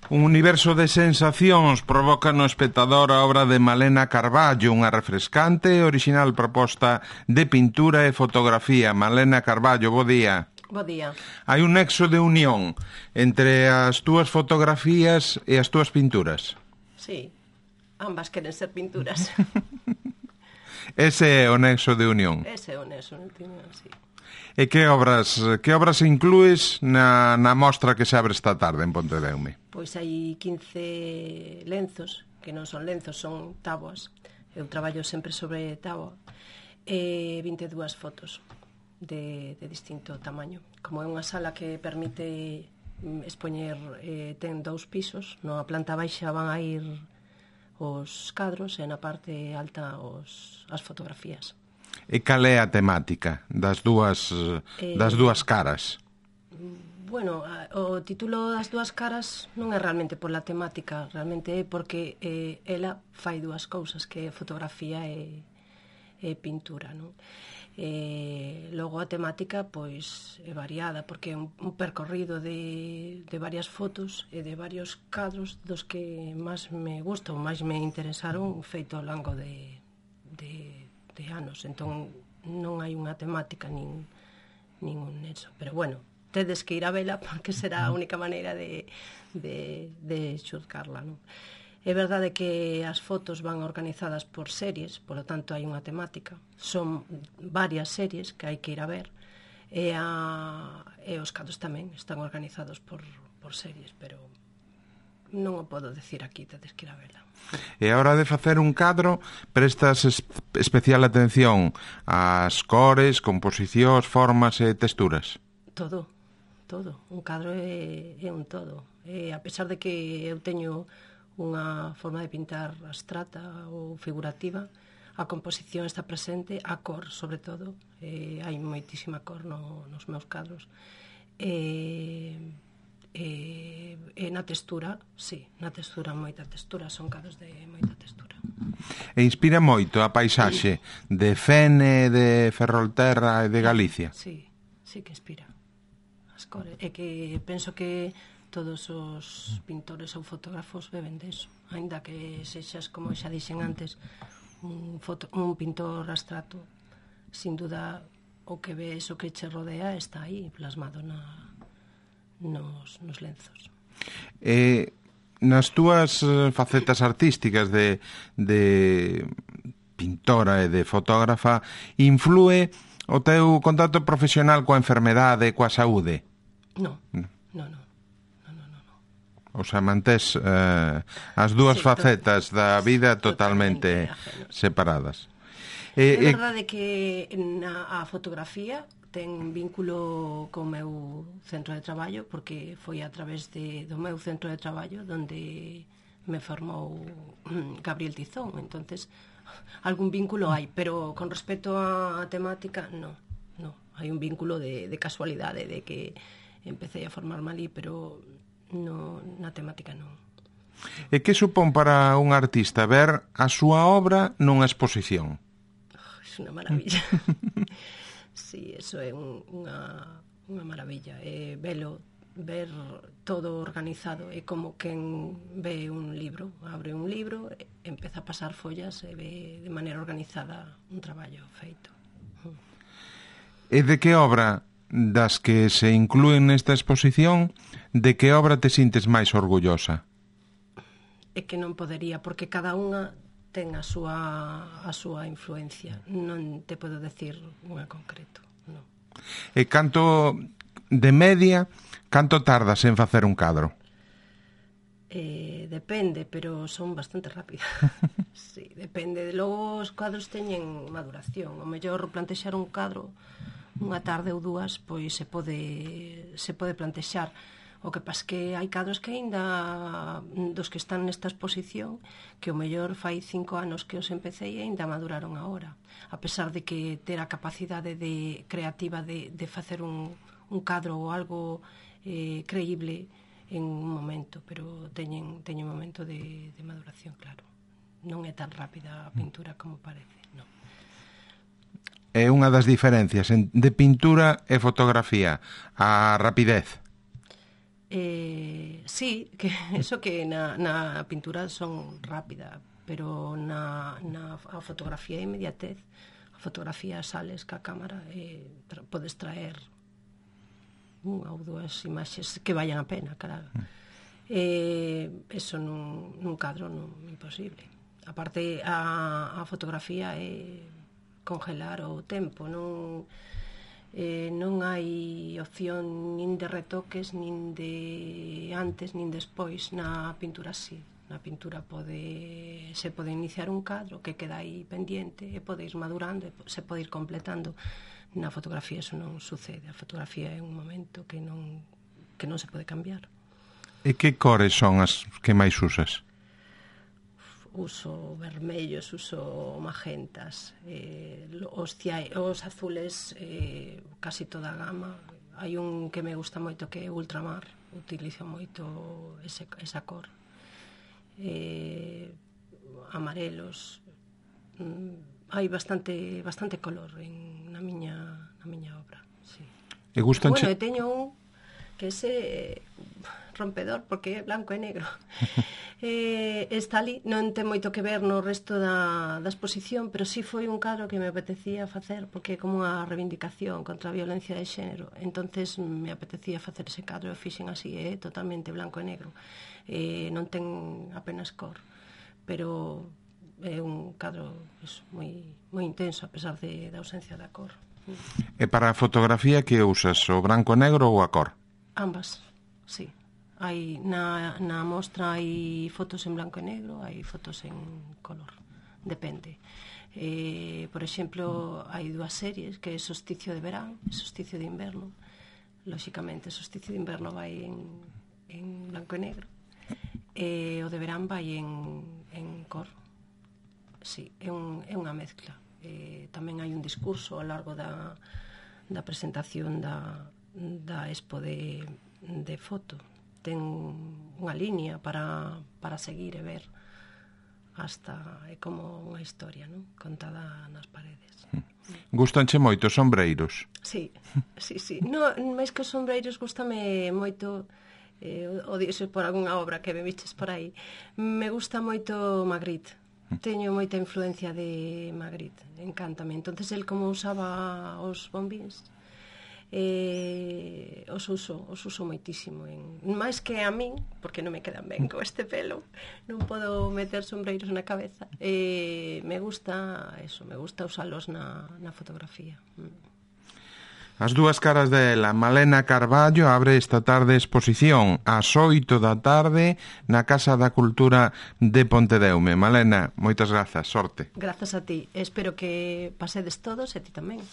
Un universo de sensacións provoca no espectador a obra de Malena Carballo, unha refrescante e orixinal proposta de pintura e fotografía. Malena Carballo, bo día. Bo día. Hai un nexo de unión entre as túas fotografías e as túas pinturas. Sí, ambas queren ser pinturas. Ese é o nexo de unión. Ese é o nexo de unión, sí. E que obras inclues na mostra que se abre esta tarde en Pontedeume? Pois hai 15 lenzos, que non son lenzos, son táboas. Eu traballo sempre sobre táboa. E 22 fotos de distinto tamaño. Como é unha sala que permite expoñer, ten 2 pisos, na planta baixa van a ir os cadros e na parte alta as fotografías. E cal é a temática das dúas caras? Bueno, o título das dúas caras non é realmente pola temática, realmente é porque ela fai dúas cousas, que é fotografía e pintura, non? Logo a temática pois é variada, porque é un percorrido de varias fotos e de varios cadros dos que máis me gustan, máis me interesaron feito ao longo de anos, entón non hai unha temática nin un nexo, pero bueno, tedes que ir a vela porque será a única maneira de xulgarla, non? É verdade que as fotos van organizadas por series, polo tanto hai unha temática, son varias series que hai que ir a ver, e os cadros tamén están organizados por series, pero non o podo decir aquí, tedes que ir a vela. E a hora de facer un cadro, prestas especial atención ás cores, composicións, formas e texturas? Todo. Un cadro é un todo. A pesar de que eu teño unha forma de pintar abstrata ou figurativa, a composición está presente, a cor, sobre todo. Hai moitísima cor nos meus cadros. E na textura, sí, moita textura, son cadros de moita textura. E inspira moito a paisaxe de Fene, de Ferrolterra e de Galicia? Sí que inspira. As cores, e que penso que todos os pintores ou fotógrafos beben deso, aínda que sexas, como xa dixen antes, un pintor abstracto, sin duda o que ves, o que che rodea está aí plasmado nos lenzos. Nas túas facetas artísticas de pintora e de fotógrafa, influe o teu contacto profesional coa enfermedade e coa saúde? Non. O sea, mantés as dúas facetas da vida totalmente separadas. É verdade que a fotografía ten vínculo co meu centro de traballo, porque foi a través do meu centro de traballo onde me formou Gabriel Tizón, entonces algún vínculo hai, pero con respecto á temática, non. Hai un vínculo de casualidade, de que empecé a formarme ali, pero na temática non. E que supón para un artista ver a súa obra nunha exposición? É unha maravilla. Sí, eso é unha maravilla. Ver todo organizado, é como quen ve un libro, abre un libro, empeza a pasar follas e ve de maneira organizada un traballo feito. E de que obra das que se inclúen nesta exposición, de que obra te sintes máis orgullosa? É que non podería, porque cada unha ten a súa influencia. Non te podo decir unha concreto, non. E canto de media, canto tardas en facer un cadro? Depende, pero son bastante rápidas. Sí, depende. Logo os cadros teñen maduración. O mellor plantexar un cadro unha tarde ou dúas, pois se pode plantexar. O que pasa que hai cadros que aínda dos que están nesta exposición que o mellor fai 5 anos que os empecé e aínda maduraron agora, a pesar de que ter a capacidade creativa de facer un cadro ou algo creíble en un momento, pero teñen un momento de maduración, claro. Non é tan rápida a pintura como parece, non. É unha das diferencias de pintura e fotografía, a rapidez. Sí, que eso que na pintura son rápida, pero a fotografía é inmediatez. A fotografía sales ca cámara e podes traer unha ou dúas imaxes que vayan a pena, claro. Eso nun cadro imposible. A parte, a fotografía é congelar o tempo, non hai opción nin de retoques, nin de antes, nin despois. Na pintura sí. Na pintura se pode iniciar un cadro que queda aí pendiente e pode ir madurando, se pode ir completando. Na fotografía eso non sucede. A fotografía é un momento que non se pode cambiar. E que cores son as que máis usas? Uso vermellos, uso magentas, os azules, casi toda a gama. Hai un que me gusta moito que é ultramar, utilizo moito esa cor. Amarelos, hai bastante color na miña obra, sí. E gustanche... Bueno, e teño un que ese rompedor, porque é blanco e negro. Está ali, non ten moito que ver no resto da exposición, pero sí foi un cadro que me apetecía facer, porque é como unha reivindicación contra a violencia de xénero. Entonces me apetecía facer ese cadro e fixen así, é totalmente blanco e negro. Non ten apenas cor, pero é un cadro moi intenso, a pesar da ausencia da cor. E para a fotografía que usas, o branco e negro ou a cor? Ambas, sí. Hai na mostra hai fotos en blanco e negro, hai fotos en color, depende. Por exemplo, hai dúas series, que é Solsticio de verán e Solsticio de inverno. Lóxicamente, Solsticio de inverno vai en blanco e negro, e o de verán vai en cor. Sí, é unha mezcla. Tamén hai un discurso ao largo da presentación da expo de foto. Ten unha liña para seguir e ver hasta é como unha historia, non? Contada nas paredes. Gustanche moito os sombreiros? Sí. Máis que os sombreiros gustame moito, o dixo por algunha obra que me viches por aí, me gusta moito Magritte. Teño moita influencia de Magritte, encántame. Entonces el como usaba os bombíns, os uso moitísimo, máis que a min, porque non me quedan ben con este pelo, non podo meter sombreiros na cabeza. Me gusta usalos na fotografía. As dúas caras dela. Malena Carballo abre esta tarde exposición ás 8 da tarde na Casa da Cultura de Pontedeume. Malena, moitas grazas, sorte. Grazas a ti, espero que pasedes todos e ti tamén.